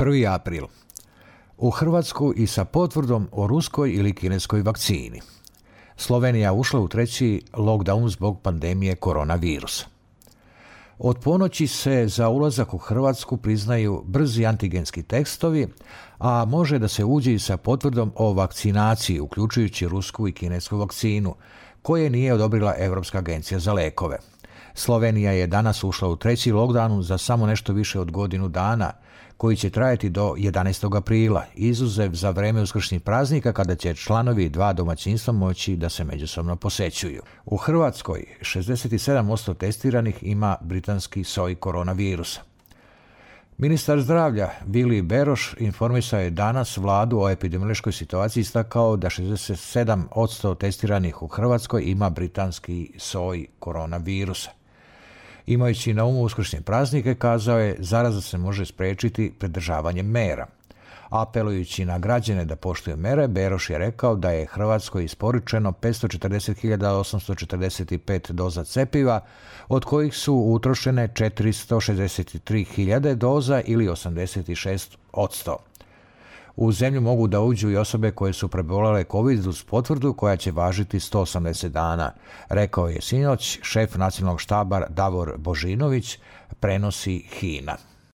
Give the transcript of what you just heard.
1. april. U Hrvatsku i sa potvrdom o ruskoj ili kineskoj vakcini. Slovenija ušla u 3. lockdown zbog pandemije koronavirusa. Od ponoći se za ulazak u Hrvatsku priznaju brzi antigenski testovi, a može da se uđe i sa potvrdom o vakcinaciji, uključujući rusku i kinesku vakcinu, koje nije odobrila Europska agencija za lekove. Slovenija je danas ušla u 3. lockdown za samo nešto više od godinu dana, koji će trajati do 11. aprila, izuzev za vreme uskršnjih praznika kada će članovi 2 domaćinstva moći da se međusobno posećuju. U Hrvatskoj 67% testiranih ima britanski soj koronavirusa. Ministar zdravlja Vili Beroš informisao je danas vladu o epidemiološkoj situaciji, istakao da 67% testiranih u Hrvatskoj ima britanski soj koronavirusa. Imajući na umu uskršnje praznike, kazao je, zaraza se može spriječiti pridržavanjem mera. Apelujući na građane da poštuju mere, Beroš je rekao da je Hrvatskoj isporučeno 540.845 doza cjepiva, od kojih su utrošene 463.000 doza ili 86%. U zemlju mogu da uđu i osobe koje su prebolele COVID uz potvrdu koja će važiti 180 dana, rekao je sinoć šef nacionalnog štaba Davor Božinović, prenosi HINA.